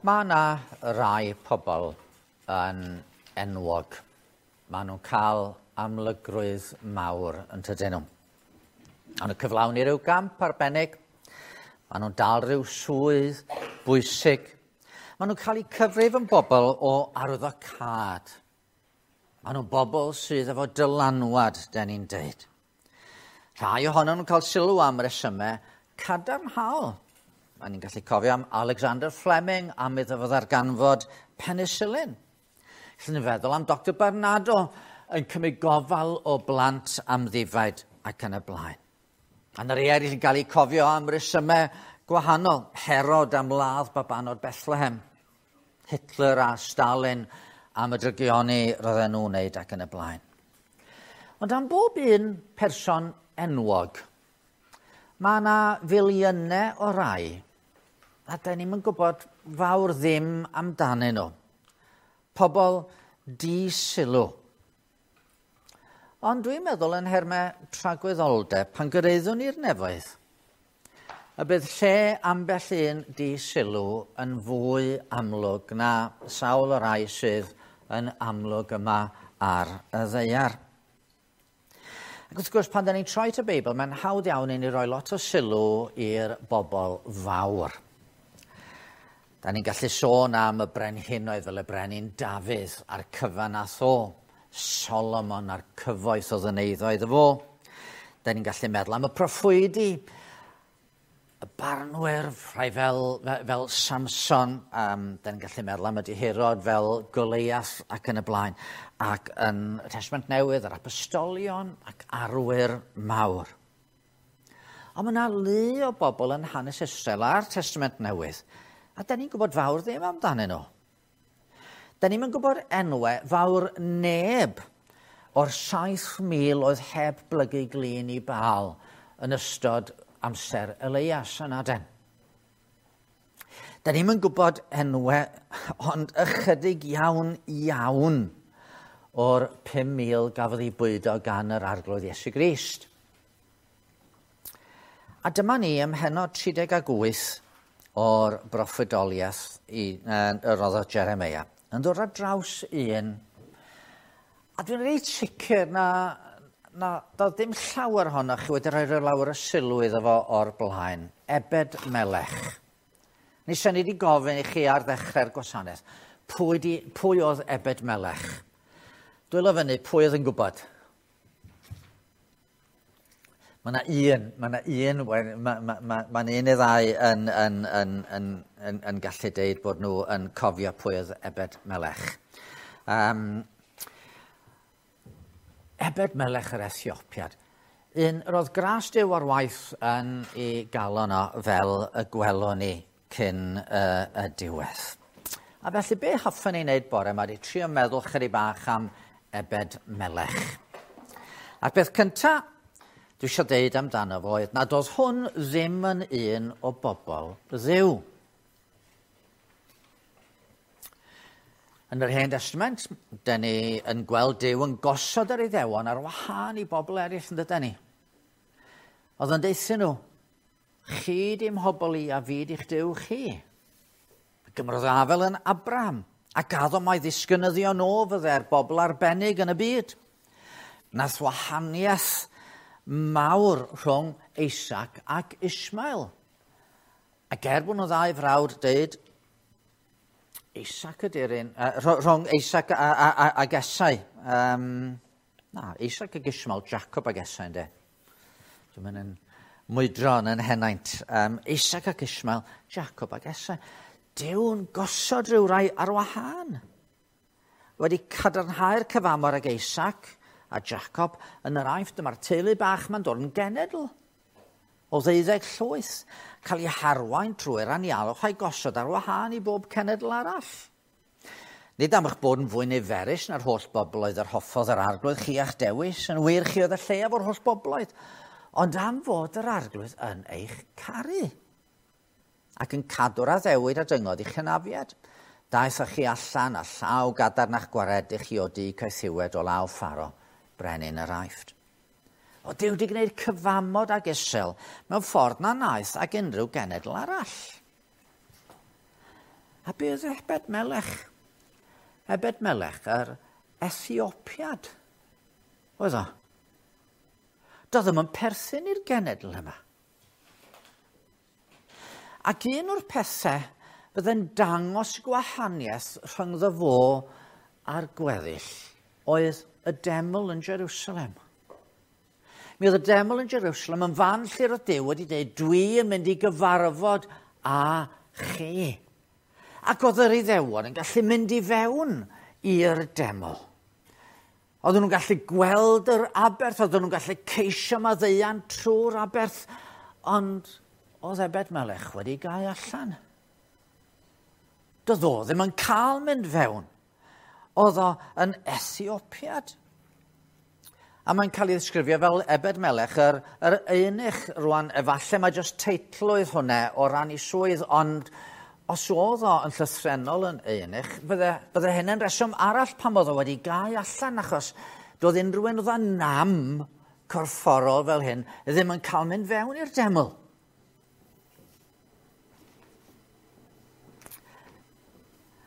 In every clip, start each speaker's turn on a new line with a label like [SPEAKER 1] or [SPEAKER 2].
[SPEAKER 1] Mae yna rai pobl yn enwog. Maen nhw'n cael amlygrwydd mawr yn tydyn nhw. Maen nhw'n cyflawni rhyw gamp arbennig. Maen nhw'n dal rhyw swydd bwysig. Maen nhw'n cael eu cyfrif yn bobl o arwyddocâd. Maen nhw'n bobl sydd efo dylanwad, den ni'n deud. Rhai ohonyn nhw'n cael sylw am resymau cadarnhaol. Mae ni'n gallu cofio am Alexander Fleming am iddo fo ddarganfod penicillin. Gallwn ni feddwl am Dr Barnardo yn cymryd gofal o blant amddifaid ac yn y blaen. A 'na rei eraill yn cael eu cofio am resymau gwahanol. Herod am ladd babanod Bethlehem. Hitler a Stalin am y drygioni roedden nhw'n wneud ac yn y blaen. Ond am bob un person enwog, Mae yna filiynau o rai a da ni'm yn gwybod fawr ddim amdanyn nhw. Pobl di-sylw. Ond dwi'n meddwl yn nhermau tragwyddoldeb, pan gyraeddwn ni'r nefoedd, y bydd lle ambell un di-sylw yn fwy amlwg na sawl o rai sydd yn amlwg yma ar y ddaear. Ac wrth gwrs, pan da ni'n troi at y Beibl, mae'n hawdd iawn i ni roi lot o sylw i'r bobl fawr. Da ni'n gallu sôn am y brenhinoedd fel y brenin Dafydd a'r cyfan nath o, Solomon a'r cyfoeth oedd yn eiddo iddo fo. Da ni'n gallu meddwl am y proffwydi, y barnwyr, rhai fel, fel Samson, da ni'n gallu meddwl am y dihirod fel Goliath ac yn y blaen, ac yn y Testament Newydd, yr apostolion ac arwyr mawr. Ond mae yna lu o bobl yn hanes Israel a'r Testament Newydd, a da ni'n gwybod fawr ddim amdanyn nhw. Da ni'm yn gwybod enwau fawr neb o'r 7,000 oedd heb blygu glin i Baal yn ystod amser Eleias yn Aden. Da ni'm yn gwybod enwau ond ychydig iawn iawn o'r 5,000 gafodd ei bwydo gan yr Arglwydd Iesu Grist. A dyma ni ym mhennod 38 o'r broffwydoliaeth i, uh, y roddodd Jeremia, yn dod ar draws un, a dwi'n reit sicr na, na doedd dim llawer ohonoch chi wedi rhoi rhyw lawer o sylw iddo fo o'r blaen, Ebed Melech. Ni sy'n ni wedi gofyn i chi ar ddechrau'r gwasanaeth, pwy, di, pwy oedd Ebed Melech? Dwylo fyny, pwy oedd yn gwybod? Mae yna un, mae yna un, mae ma, ma, ma, ma un neu ddau yn, yn, yn, yn, yn, yn gallu deud bod nhw yn cofio pwy oedd Ebed Melech. Um, Ebed Melech yr Ethiopiad. Un, roedd gras Duw ar waith yn ei galon o fel y gwelwn ni cyn uh, y diwedd. A felly be hoffwn ei wneud bore yma ydy trio meddwl chydig bach am Ebed Melech. A'r peth cynta dwi eisiau deud amdano fo oedd nad oedd hwn ddim yn un o bobl Dduw. Yn yr Hen Testament, dyn ni yn gweld Duw yn gosod yr Iddewon ar wahân i bobl eraill yn dydyn ni. Oedd yn deuthyn nhw, Chi di mhobl i a fi di'ch Duw chi. Gymrodd afel yn Abraham, a gaddo mai ddisgynyddion o fydde'r bobl arbennig yn y byd. Nath wahaniaeth mawr rhwng Isaac ac Ishmael. Ac er bod nhw ddau frawd deud, Isaac ydy'r un, uh, rhwng Isaac a, a, a, ag Esau. Um, na, Isaac ag Ishmael, Jacob ag Esau, ynddo. Dwi'n mynd yn mwydro yn yn henaint. Um, Isaac ac Ishmael, Jacob ac Esau. Dyw'n gosod rhyw rai ar wahân. Wedi cadarnhau'r cyfamor ag Isaac a Jacob yn yr Aifft, dyma'r teulu bach ma'n dod yn genedl o ddeuddeg llwyth, cael ei harwain drwy'r anialwch a'i gosod ar wahân i bob cenedl arall. Nid am eich bod yn fwy niferus na'r holl bobloedd yr hoffodd yr Arglwydd chi a'ch dewis, yn wir chi oedd y lleiaf o'r holl bobloedd, ond am fod yr Arglwydd yn eich caru ac yn cadw'r addewid a dyngodd i'ch hynafiad. Daeth â chi allan a llaw gadarn a'ch gwaredu chi o du caethiwed o law Pharo, brenin yr Aifft. O Duw wedi gwneud cyfamod ag Israel mewn ffordd na wnaeth ag unrhyw genedl arall. A be oedd Ebed Melech? Ebed Melech, yr Ethiopiad, oedd o. Doedd ddim yn perthyn i'r genedl yma. Ac un o'r pethau fydde'n dangos gwahaniaeth rhyngddo fo a'r gweddill oedd y deml yn Jerusalem. Mi oedd y deml yn Jerusalem yn fan lle roedd Duw wedi dweud, dwi yn mynd i gyfarfod â chi. Ac oedd yr Iddewon yn gallu mynd i fewn i'r deml. Oedden nhw'n gallu gweld yr aberth, oedden nhw'n gallu ceisio maddeuant trwy'r aberth, ond oedd Ebed Melech wedi gau allan. Doedd o ddim yn cael mynd fewn. Oedd o yn Ethiopiad. A mae'n cael ei ddisgrifio fel Ebed Melech, yr eunuch rwan, efallai mae jyst teitl oedd hwnna o ran ei swydd, ond os oedd o yn llythrennol yn eunuch, fydde hynny'n reswm arall pam oedd o wedi gau allan, achos doedd unrhyw un oedd â nam corfforol fel hyn ddim yn cael mynd fewn i'r deml.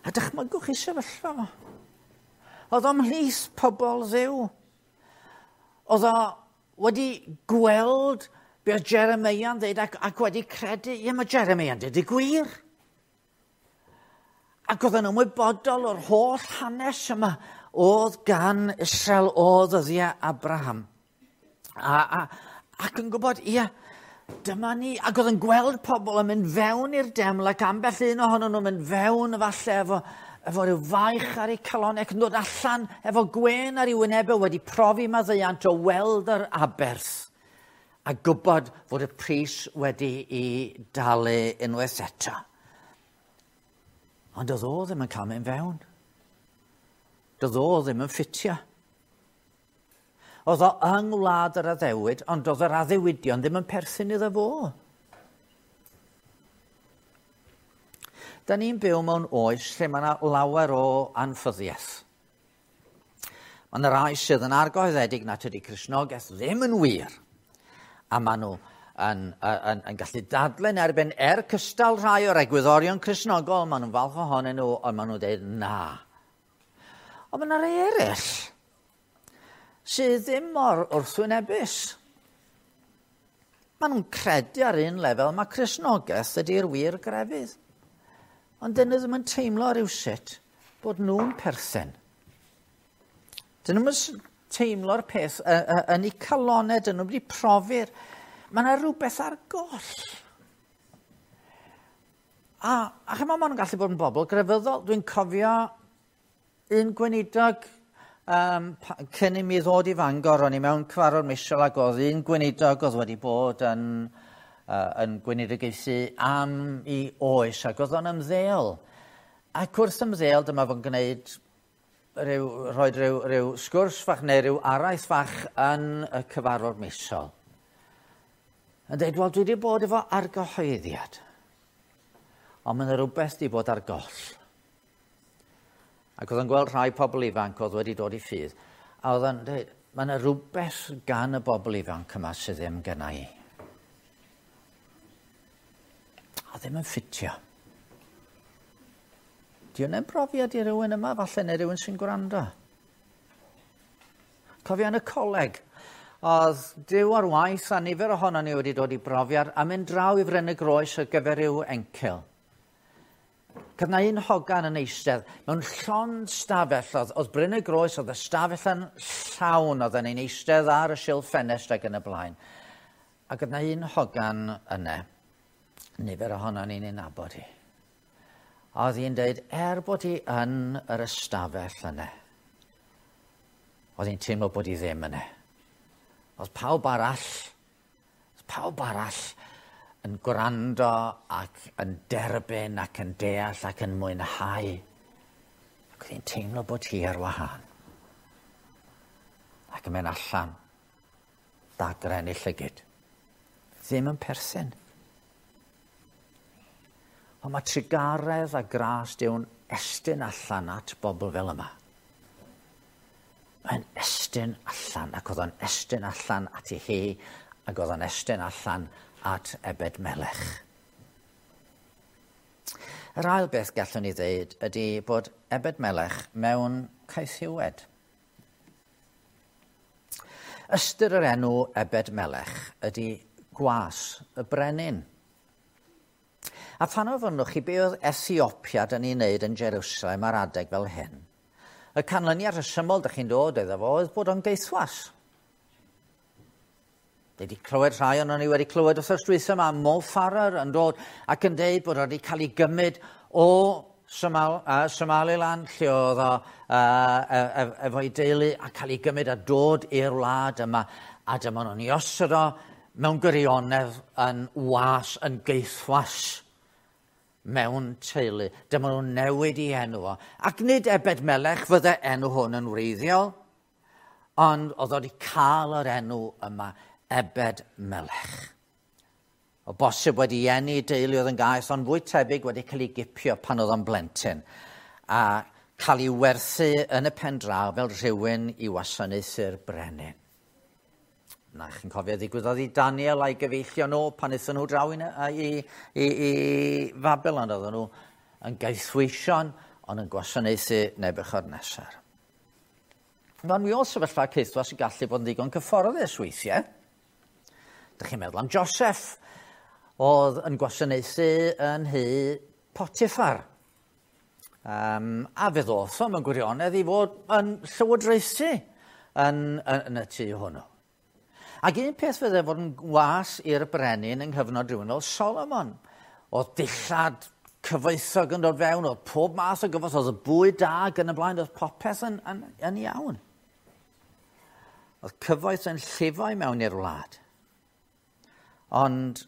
[SPEAKER 1] A dychmygwch chi sefyllfa fo. Oedd o ymhlith pobl Dduw. Oedd o wedi gweld be oedd Jeremeia'n dweud ac wedi credu, ie, mae Jeremeia'n dweud y gwir. Ac oedd yn ymwybodol o'r holl hanes yma oedd gan Israel o ddyddiau Abraham. Ac yn gwybod, ie, dyma ni. Ac oedd yn gweld pobl yn mynd fewn i'r deml ac ambell un ohonyn nhw'n mynd fewn efallai efo rhyw faich ar eu calon ac yn dod allan efo gwên ar ei wynebau wedi profi maddeuant o weld yr aberth a gwybod fod y pris wedi ei dalu unwaith eto. Ond doedd o ddim yn cael mynd fewn. Doedd o ddim yn ffitio. Oedd o yng ngwlad yr addewid, ond doedd yr addewidion ddim yn perthyn iddo fo. Da ni'n byw mewn oes lle mae yna lawer o anffyddiaeth. Mae yna rai sydd yn argyhoeddedig nad ydy Cristnogaeth ddim yn wir. A maen nhw yn gallu dadlen erbyn cystal rhai o'r egwyddorion Cristnogol, maen nhw'n falch ohonyn nhw, ond maen nhw'n dweud na. Ond mae yna rai eraill sydd ddim mor wrthwynebus. Maen nhw'n credu ar un lefel mae Cristnogaeth ydy'r wir grefydd. Ond dyn nhw ddim yn teimlo rhywsut bod nhw'n perthyn. Dyn nhw'n teimlo'r peth yn eu calonau, dyn nhw wedi profi'r. Mae yna rhywbeth ar goll. A chymod, maen nhw'n gallu bod yn bobl grefyddol. Dwi'n cofio un gweinidog cyn i mi ddod i Fangor, o'n i mewn cyfarfod misol ac oedd un gweinidog oedd wedi bod yn gweinidogaethu am ei oes ac oedd o'n ymddeol. Ac wrth ymddeol dyma fo'n gwneud rhoi rhyw sgwrs fach neu rhyw araith fach yn y cyfarfod misol. Yn dweud, wel, dwi wedi bod efo argyhoeddiad, ond mae yna rhywbeth wedi bod ar goll. Ac oedd o'n gweld rhai pobl ifanc oedd wedi dod i ffydd, a oedd o'n dweud, mae yna rhywbeth gan y bobl ifanc yma sydd ddim gynna i. A ddim yn ffitio. Di hwnna'n brofiad i rywun yma, falle, neu rywun sy'n gwrando? Cofio yn y coleg, oedd Duw ar waith a nifer ohono ni wedi dod i brofiad a mynd draw i Fryn y Groes ar gyfer rhyw encil. Oedd 'na un hogan yn eistedd mewn llond stafell, oedd Bryn y Groes, oedd y stafell yn llawn, oedd yn eistedd ar y silff ffenest ac yn y blaen. Ac oedd 'na un hogan yna, nifer ohono ni'n ei nabod hi. A oedd hi'n dweud, bod hi yn yr ystafell yna, oedd hi'n teimlo bod hi ddim yna. Oedd pawb arall yn gwrando ac yn derbyn ac yn deall ac yn mwynhau. Ac oedd hi'n teimlo bod hi ar wahân. Ac yn mynd allan, dagren ei llygid. Ddim yn perthyn. Ond mae trugaredd a gras Duw'n estyn allan at bobl fel yma. Mae'n estyn allan, ac oedd o'n estyn allan at ei hi, ac oedd o'n estyn allan at Ebed Melech. Yr ail beth gallwn ni ddeud ydy bod Ebed Melech mewn caethiwed. Ystyr yr enw Ebed Melech ydy gwas y brenin. A phan ofynnwch chi be oedd Ethiopiad yn ei wneud yn Jerusalem ar adeg fel hyn, y canlyniad rhesymol dych chi'n dod iddo fo oedd bod o'n geithwas. Wedi clywed rhai ond ni wedi clywed wrthos dwytha yma Mo Farrar yn dod ac yn deud bod wedi cael ei gymryd o Somal, Somaliland, lle oedd o efo'i deulu, a cael ei gymryd a dod i'r wlad yma. A dyma nhw'n ei osod o mewn gwirionedd yn was, yn geithwas mewn teulu. Dyma nhw'n newid i enw o. Ac nid Ebed Melech fydde enw hwn yn wreiddiol, ond oedd wedi cael yr enw yma, Ebed Melech. O bosib wedi eni deulu oedd yn gaeth, ond fwy tebyg wedi cael ei gipio pan oedd o'n blentyn, a cael ei werthu yn y pen draw fel rhywun i wasanaethu'r brenin. Na, chi'n cofio ddigwyddodd i Daniel a'i gyfeillion nhw pan aethon nhw draw i, i, i, i Babylon. Oedden nhw yn gaethweision, ond yn gwasanaethu Nebuchadnezzar. Mae'n mi oedd sefyllfa caethwas yn gallu bod yn ddigon cyfforddus weithiau. Dych chi'n meddwl am Joseph, oedd yn gwasanaethu yn nhŷ Potiphar. A fe ddoth o mewn gwirionedd i fod yn llywodraethu yn, yn, yn y tŷ hwnnw. Ac un peth fydde fod yn was i'r brenin yng nghyfnod rhywun fel Solomon. Oedd dillad cyfoethog yn dod fewn, oedd pob math o gyfoeth, oedd y bwyd da ac yn y blaen, oedd popeth yn, yn, yn iawn. Oedd cyfoeth yn llifo i mewn i'r wlad. Ond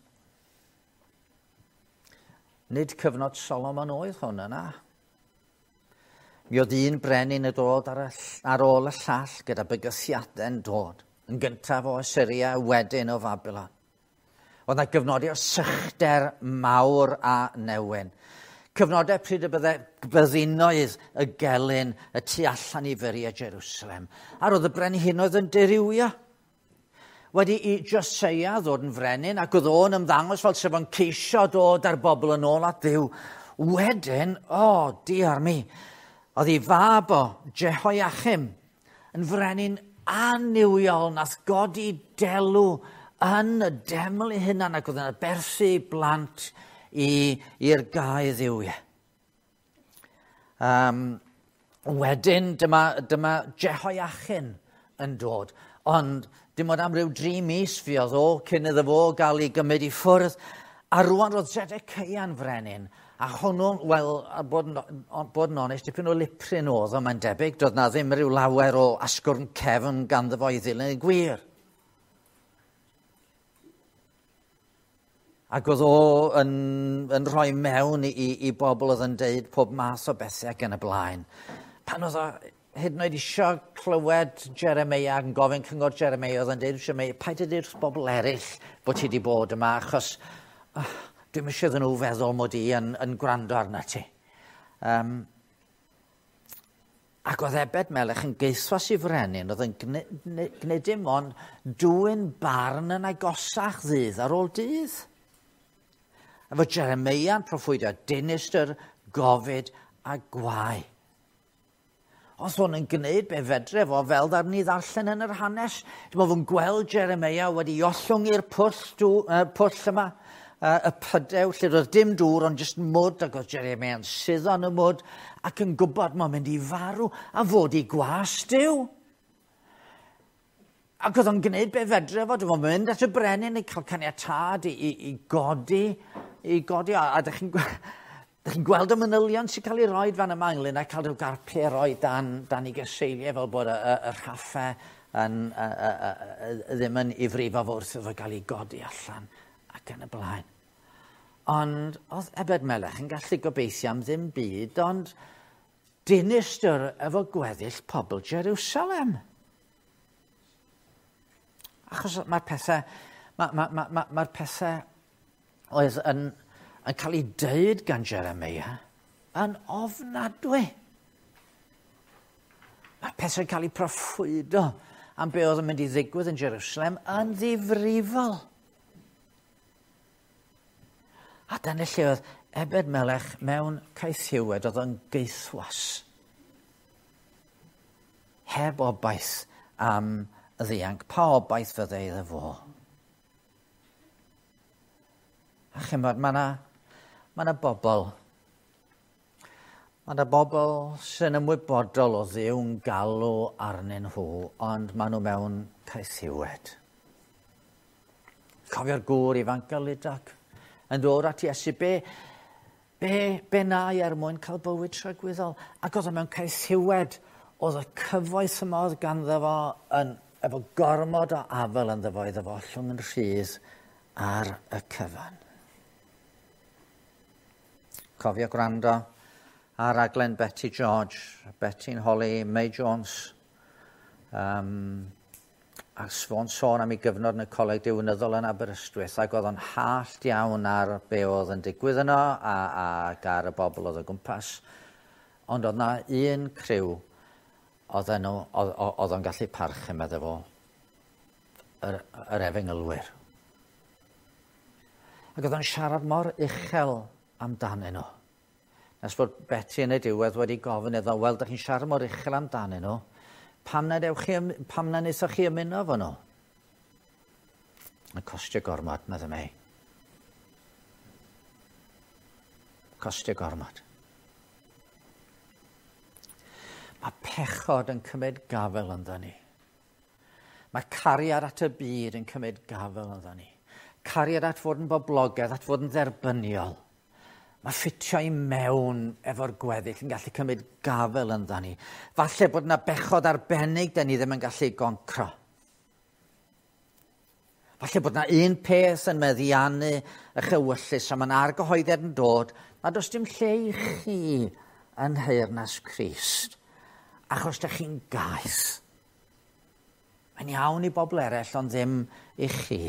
[SPEAKER 1] nid cyfnod Solomon oedd hwn yna. Mi oedd un brenin yn dod ar, y, ar ôl y llall gyda bygythiadau'n dod. Yn gyntaf o Assyria, wedyn o Babylon. Oedd yna gyfnodau o sychder mawr a newyn. Cyfnodau pryd y bydde byddinoedd y gelyn y tu allan i furiau Jerusalem. A roedd y brenhinoedd yn dirywio. Wedi i Joseia ddod yn frenin, ac oedd o'n ymddangos fel sef o'n ceisio dod â'r bobl yn ôl at Dduw. Wedyn, o, oh, diar mi, oedd ei fab o, Jehoiachim, yn frenin annuwiol nath godi delw yn y deml ei hunan ac oedd yn aberthu blant i'r gau dduwiau. Wedyn, dyma, dyma Jehoiachin yn dod, ond dim ond am ryw dri mis fuodd o cyn iddo fo gael ei gymryd i ffwrdd. A rwan roedd Zedeceia'n frenin, a hwnnw, wel, a bod, yn, bod yn onest, dipyn o liprin oedd o, mae'n debyg, doedd na ddim rhyw lawer o asgwrn cefn ganddo fo i ddilyn y gwir. Ac oedd o yn, yn rhoi mewn i, i, i bobl oedd yn deud pob math o bethau ac yn y blaen. Pan oedd o hyd yn oed isio clywed Jeremia yn gofyn cyngor Jeremia, oedd yn deud Jeremia, paid â deud wrth bobl eraill bod ti wedi bod yma, achos oh, dwi'm eisiau iddyn nhw feddwl mod i yn, yn gwrando arna ti. Um, ac oedd Ebed Melech yn geithwas i frenin, oedd yn gwneud dim ond dwyn barn yn agosach ddydd ar ôl dydd. Efo Jeremia yn proffwydio dinistr, gofid a gwae. Oedd hwn yn gwneud be fedre fo fel ddaru ni ddarllen yn yr hanes. Dim ond fo'n gweld Jeremia wedi ollwng i'r pwll, dw, pwll yma, y pydew, lle roedd dim dŵr ond jyst mwd, ac oedd Jeremia yn suddo yn y mwd ac yn gwybod mae'n mynd i farw a fod i gwas Duw. Ac oedd o'n gwneud be fedre fo, dim ond mynd at y brenin i cael caniatâd i, i, i godi, i godi, a, a dych chi'n Dych chi'n gweld y manylion sy'n cael ei roed fan yma ynglyn â cael rhyw garpiau roi dan, dan ei gyseiliau fel bod y, y, y rhaffau yn, y, y, y, y, ddim yn ifrifo fo wrth iddo gael ei godi allan ac yn y blaen. Ond oedd Ebed Melech yn gallu gobeithio am ddim byd, ond dinistr efo gweddill pobl Jerusalem. Achos mae'r pethau, mae'r ma, ma, ma, ma pethau oedd yn, yn cael ei deud gan Jeremia yn ofnadwy. Mae'r pethau'n cael ei proffwydo am be oedd yn mynd i ddigwydd yn Jerusalem yn ddifrifol. A dyna lle oedd Ebed Melech mewn caethiwed, oedd o'n geithwas. Heb obaith am y ddianc. Pa obaith fydde iddo fo? A chymod, mae yna ma na bobl. Mae yna bobl sy'n ymwybodol o Dduw'n galw arnyn nhw, ond maen nhw mewn caethiwed. Cofio'r gŵr ifanc Galidag yn dod at Iesu, be na i er mwyn cael bywyd tragwyddol? Ac oedd o mewn caethiwed, oedd y cyfoeth yma oedd ganddo fo yn, efo gormod o afel ynddo fo iddo fo ollwng yn rhydd ar y cyfan. Cofio gwrando ar raglen Betty George, Betty'n holi May Jones, a sôn am ei gyfnod yn y coleg diwinyddol yn Aberystwyth, ac oedd o'n hallt iawn ar be oedd yn digwydd yno ac ar y bobl oedd o gwmpas. Ond oedd na un criw oedd o'n gallu parchu, meddwl fo, yr efengylwyr. Ac oedd o'n siarad mor uchel amdanyn nhw. Nes bod Betty yn y diwedd wedi gofyn iddo, wel, dych chi'n siarad mor uchel amdanyn nhw, pam na wnaethoch chi ymuno efo nhw? Yn costio gormod, meddai May. Costio gormod. Mae pechod yn cymryd gafel ynddo ni. Mae cariad at y byd yn cymryd gafel ynddo ni. Cariad at fod yn boblogaidd, at fod yn dderbyniol. Mae ffitio i mewn efo'r gweddill yn gallu cymryd gafel ynddo ni. Falle bod yna bechod arbennig da ni ddim yn gallu goncro. Falle bod yna un peth yn meddiannu eich ewyllys a mae'n argyhoeddiad yn dod na does dim lle i chi yn nheyrnas Crist, achos da chi'n gaeth. Mae'n iawn i bobl eraill, ond ddim i chi.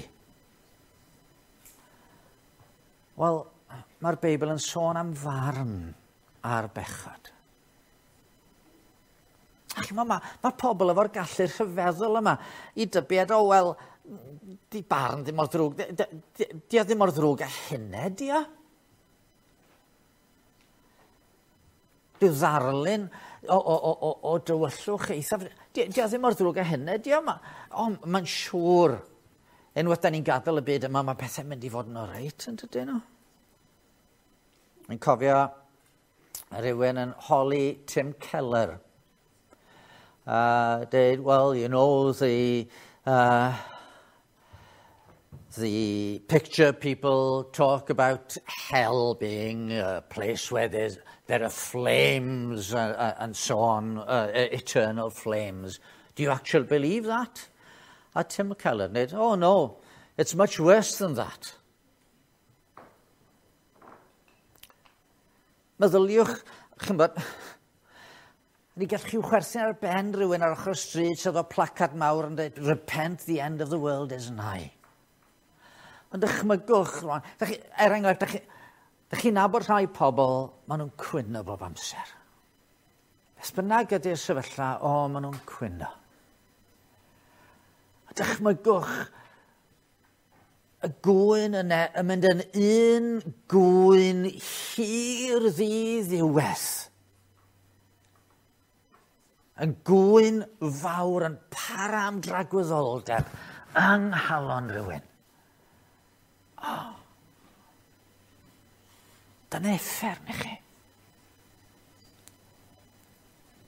[SPEAKER 1] Wel, mae'r Beibl yn sôn am farn ar bechod. Ac mae pobl efo'r gallu rhyfeddol yma i dybied, o, wel, di barn ddim mor ddrwg, di o ddim mor ddrwg a hynny, di o? Rhyw ddarlun o dywyllwch eithaf, di o ddim mor ddrwg a hynny, di o? Mae'n siŵr, unwaith da ni'n gadael y byd yma, mae pethau'n mynd i fod yn oreit, yn dydyn nhw? Dwi'n cofio rhywun yn holi Tim Keller. Dweud, well, you know, the picture people talk about hell being a place where there are flames and so on, eternal flames. Do you actually believe that? A Tim Keller dweud, oh no, it's much worse than that. Meddyliwch, ch'mbod, ni gallwch chi chwerthin ar ben rhywun ar ochr y stryd sydd o placard mawr yn dweud, repent, the end of the world is nigh. Ond dychmygwch, rwan, er enghraifft, dych chi'n nabod rhai pobl, maen nhw'n cwyno bob amser. Beth bynnag ydy'r sefyllfa, o, maen nhw'n cwyno. A dychmygwch y gŵyn yna yn mynd yn un gŵyn hir ddiddiwedd. Yn gŵyn fawr yn para am dragwyddoldeb yng nghalon rhywun. Oh. Dyna uffern i chi.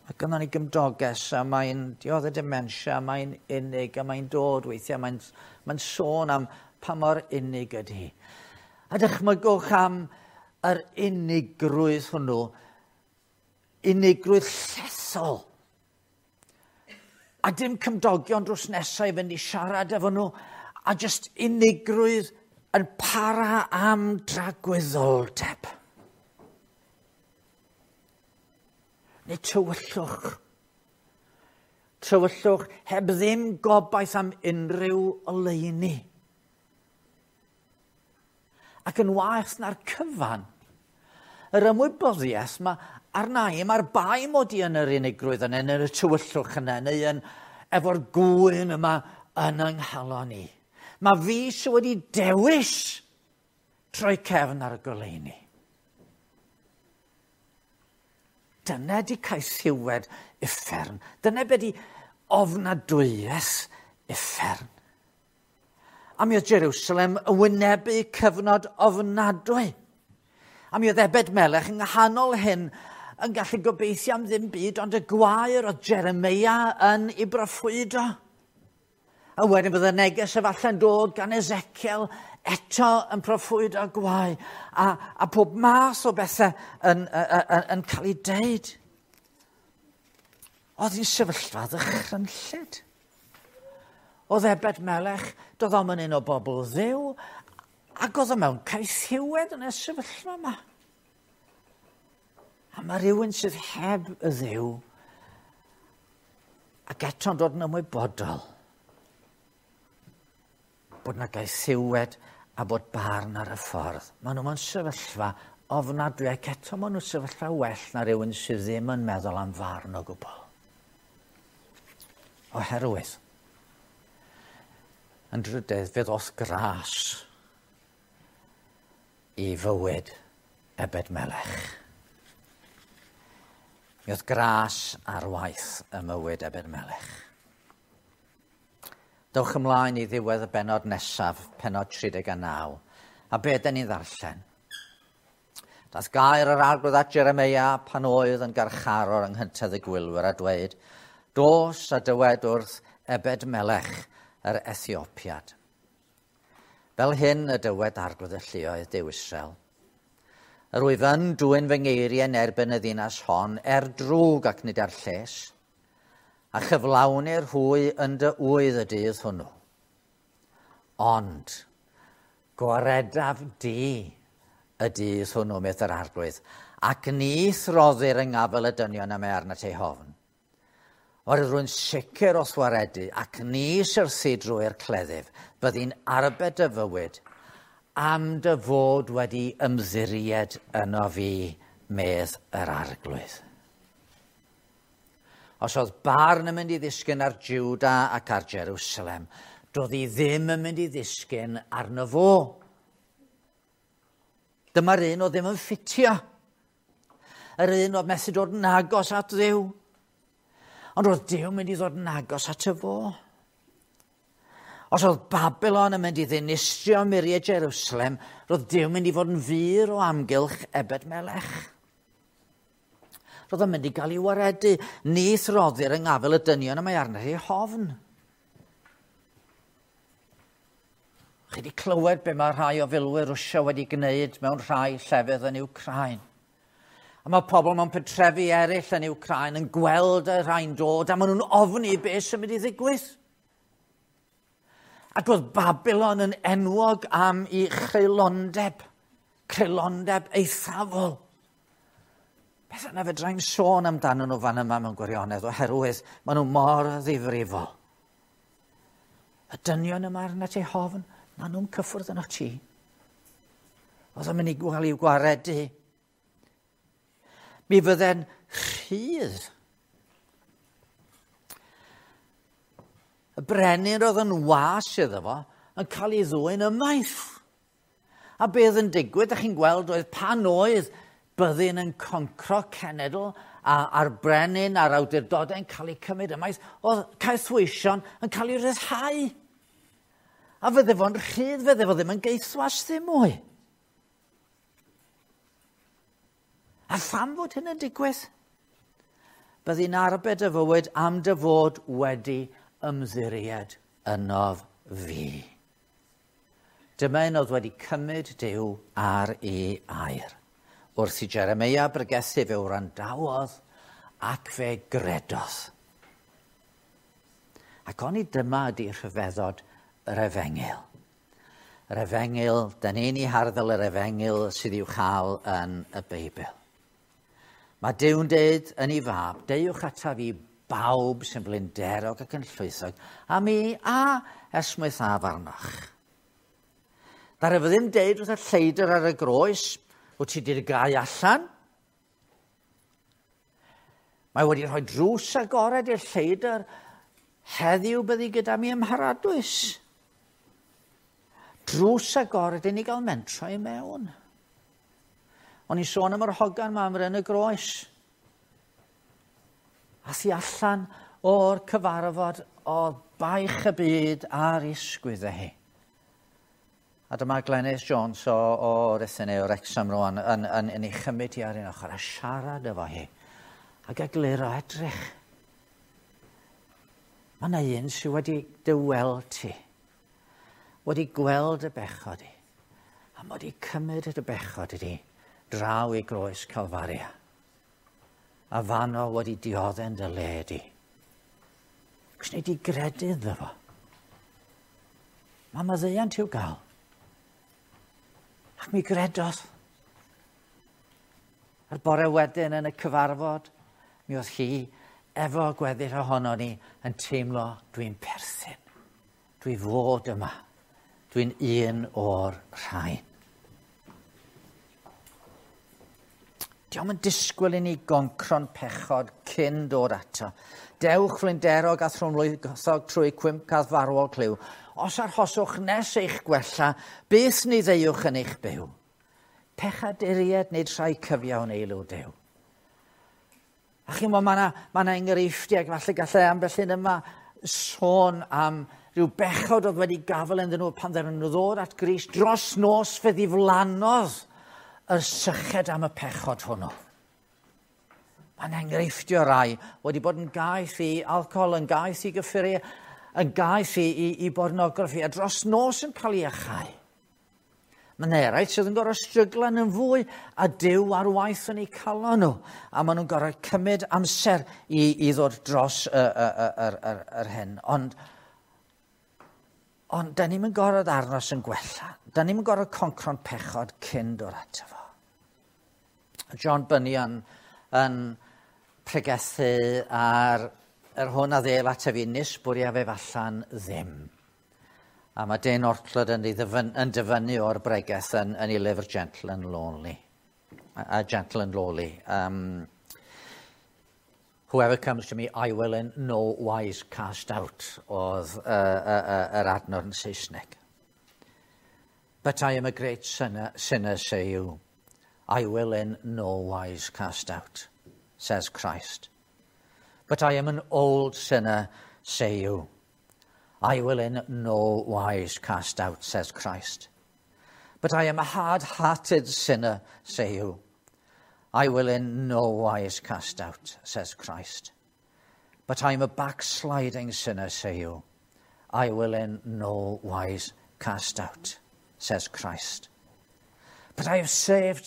[SPEAKER 1] Mae gynnon ni gymdoges a mae'n dioddef dementia, mae'n unig a mae'n dod weithiau, mae'n sôn am pa mor unig ydy hi. A dychmygwch am yr unigrwydd hwnnw, unigrwydd llesol. A dim cymdogion drws nesaf i fynd i siarad efo nhw, a jyst unigrwydd yn para am dragwyddoldeb. Neu tywyllwch. Tywyllwch heb ddim gobaith am unrhyw oleuni. Ac yn waeth na'r cyfan, yr ymwybyddiaeth mae arna i, mae'r bai mod i yn yr unigrwydd yna, yn y tywyllwch yna, neu yn efo'r gŵyn yma yn yng nghalon i. Mae fi sydd wedi dewis Troi cefn ar y goleuni. Dyna di caethiwed uffern. Dyna be di ofnadwyaeth uffern. A mi oedd Jerusalem yn wynebu cyfnod ofnadwy. A mi oedd Ebed Melech yng nghanol hyn yn gallu gobeithio am ddim byd ond y gwair oedd Jeremia yn ei broffwydo. A wedyn bydd y neges efallai'n dod gan Ezekiel eto yn proffwydo gwae a pob math o bethau yn cael ei deud. Oedd hi'n sefyllfa ddychrynllyd. Oedd Ebed Melech, doedd o'm yn un o bobl Dduw, ac oedd o mewn caethiwed yn y sefyllfa yma. A mae rhywun sydd heb y Dduw ac eto'n dod yn ymwybodol bod na gaethiwed a bod barn ar y ffordd. Maen nhw mewn sefyllfa ofnadwy ac eto maen nhw'n sefyllfa well na rhywun sydd ddim yn meddwl am farn o gwbl. Oherwydd, yn drydedd, fe ddoth gras i fywyd Ebed Melech. Mi oedd gras ar waith y mywyd Ebed Melech. Dewch ymlaen i ddiwedd y bennod nesaf, pennod 39, a be dyn ni'n ddarllen? Daeth gair yr Arglwydd at Jeremia pan oedd yn garcharor yng nghyntedd y gwylwyr a dweud, dos a dywed wrth Ebed Melech yr Ethiopiad. Fel hyn y dywed Arglwydd y lluoedd Duw Israel. Yr wyf yn dwyn fy ngeiriau yn erbyn y ddinas hon, er drwg ac nid er lles, a chyflawnir hwy yn dy ŵydd y dydd hwnnw. Ond gwaredaf di y dydd hwnnw, medd yr Arglwydd, ac ni throddir yng ngafel y dynion am ei arnat eu hofn. Oherwydd rwy'n sicr o'th waredu, ac ni syrthi drwy'r cleddyf, byddi'n arbed dy fywyd, am dy fod wedi ymddiried yno fi, medd yr Arglwydd. Os oedd barn yn mynd i ddisgyn ar Juda ac ar Jerusalem, doedd hi ddim yn mynd i ddisgyn arno fo. Dyma'r un oedd ddim yn ffitio. Yr un oedd methu dod yn agos at Dduw. Ond oedd Duw mynd i ddod yn agos at y fo. Os oedd Babylon yn mynd i ddinistrio muriau Jerusalem, roedd Duw mynd i fod yn fur o amgylch Ebed Melech. Roedd o'n mynd i gael ei waredu. Ni throddir yng ngafel y dynion y mae arno ei hofn. Chi wedi clywed be mae rhai o filwyr Rwsia wedi gwneud mewn rhai llefydd yn Wcráin. A mae pobl mewn pentrefi eraill yn Wcráin yn gweld y rhai'n dod a maen nhw'n ofni beth sy'n mynd i ddigwydd. Ac oedd Babylon yn enwog am ei chreulondeb, creulondeb eithafol. Beth yna fedra i'm sôn amdano nhw fan yma mewn gwirionedd, oherwydd maen nhw mor ddifrifol. Y dynion yma arnat eu hofn, maen nhw'n cyffwrdd yno ti. Oedd o'n mynd i gael i'w gwaredu. Mi fydde'n rhydd. Y brenin oedd yn was iddo fo yn cael ei ddwyn ymaith. A beth yn digwydd, ydych chi'n gweld, oedd pan oedd byddin yn concro cenedl a'r brenin a'r awdurdodau yn cael eu cymryd ymaith, oedd caethweision yn cael eu rhyddhau. A fydde fo'n rhydd, fydde fo ddim yn gaethwas ddim mwy. A pham fod hyn yn digwydd? Byddi'n arbed y fywyd am dy fod wedi ymddiried ynof fi. Dyma un oedd wedi cymryd Duw ar ei air. Wrth i Jeremia bregethu fe wrandawodd ac fe gredodd. Ac oni dyma ydi rhyfeddod yr efengyl. Yr efengyl, da ni'n ei harddel yr efengyl sydd i'w chael yn y Beibl. Mae Duw'n deud yn ei fab, deuwch ataf i bawb sy'n flinderog ac yn llwythog, a mi a esmwythaf arnoch. Ddaru fe ddim deud wrth y lleidr ar y groes, wyt ti wedi'r gau allan? Mae wedi rhoi drws agored i'r lleidr, heddiw byddi gyda mi ym Mharadwys. Drws agored i ni gael mentro i mewn. O'n i'n sôn am yr hogan ma am yn y groes. A thi allan o'r cyfarfod o baich y byd a'r isgwydd hi. A dyma Glenys Jones o Ruthin neu o Wrexham rwan yn ei chymryd hi ar un ochr a siarad efo hi. Ac egluro edrych. Mae yna un sydd wedi dy weld ti. Wedi gweld y bechod i. A mae wedi cymryd y bechod i di draw i groes Calfaria. A fano wedi diodde'n dy le di. Cos nei di gredu iddo fo. Mae maddeuant i'w gael. Ac mi gredodd. A'r bore wedyn yn y cyfarfod, mi oedd hi efo gweddill ohono ni yn teimlo dwi'n perthyn. Dwi fod yma. Dwi'n un o'r rhain. Dio'm yn disgwyl i ni goncro'n pechod cyn dod ato. Dewch flinderog a thrwmlwythog trwy cwymp a farwol clyw. Os arhoswch nes eich gwella, beth ni ddeuwch yn eich byw? Pechaduriaid nid rhai cyfiawn eilw Duw. A chi'n gwybod, mae yna enghreifftiau, falle gallai ambell un yma sôn am rhyw bechod oedd wedi gafael ynddyn nhw pan ddaren nhw ddod at Grist dros nos fe ddiflannodd y syched am y pechod hwnnw. Mae'n enghreifftio rai wedi bod yn gaeth i alcohol, yn gaeth i gyffuriau, yn gaeth i bornograffi, a dros nos yn cael ei achau. Mae'n eraill sydd yn gorfod stryglan yn fwy a Duw ar waith yn eu calon nhw. A maen nhw'n gorfod cymryd amser i ddod dros yr hyn. Ond da ni'n gorfod arnos yn gwella. Da ni'n gorfod concro'n pechod cyn dod ato fo. John Bunyan yn pregethu ar yr hwn a ddêl ataf fi nis bwriaf ef allan ddim. A mae Dane Ortlund yn dyfynnu o'r bregeth yn ei lyfr Gentle and Lonely. Gentle and Lowly. Whoever comes to me, I will in no wise cast out, oedd yr adnod yn Saesneg. But I am a great sinner, say you. I will in no wise cast out, says Christ. But I am an old sinner, say you. I will in no wise cast out, says Christ. But I am a hard-hearted sinner, say you. I will in no wise cast out, says Christ. But I am a backsliding sinner, say you. I will in no wise cast out, says Christ. But I have served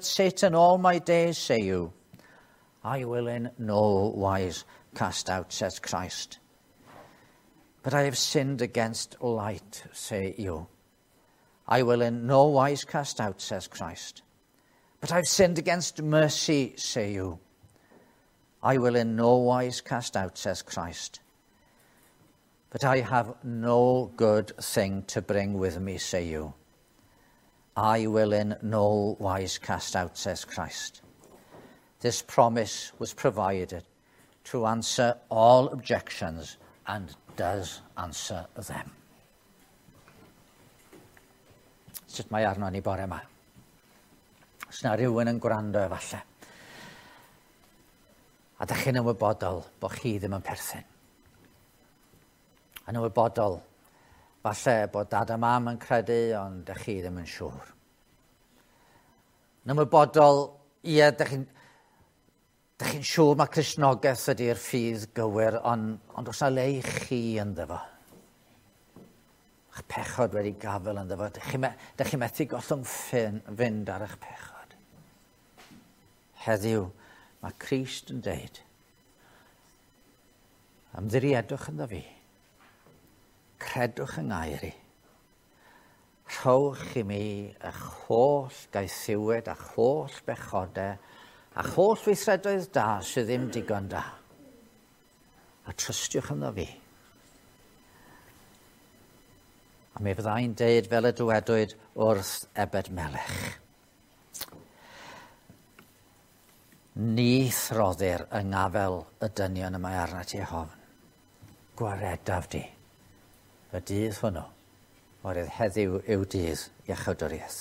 [SPEAKER 1] Satan all my days, say you. I will in no wise cast out, says Christ. But I have sinned against light, say you. I will in no wise cast out, says Christ. But I have sinned against mercy, say you. I will in no wise cast out, says Christ. But I have no good thing to bring with me, say you. I will in no wise cast out, says Christ. This promise was provided to answer all objections and does answer them. Sut mae arno ni bore yma? Os na rhywun yn gwrando efallai. A da chi'n ymwybodol bod chi ddim yn perthyn. Yn ymwybodol, falle bod dad a mam yn credu, ond da chi ddim yn siŵr. Yn ymwybodol, ie, da chi'n siŵr mae Cristnogaeth ydy'r ffydd gywir, ond oes na le i chi ynddo fo. Eich pechod wedi gafel ynddo fo. Dych chi methu gollwng fynd ar eich pechod. Heddiw, mae Crist yn deud, ymddiriedwch ynddo fi, credwch yng ngair i, rhowch i mi eich holl gaethiwed a'ch holl bechodau, a'ch holl weithredoedd da sydd ddim digon da. A trystiwch ynddo fi. A mi fyddai'n deud fel y dywedwyd wrth Ebed Melech. Ni throddir yng ngafel y dynion y mae arnat ti hofn. Gwaredaf di y dydd hwnnw Oherwydd heddiw yw dydd iachawdwriaeth.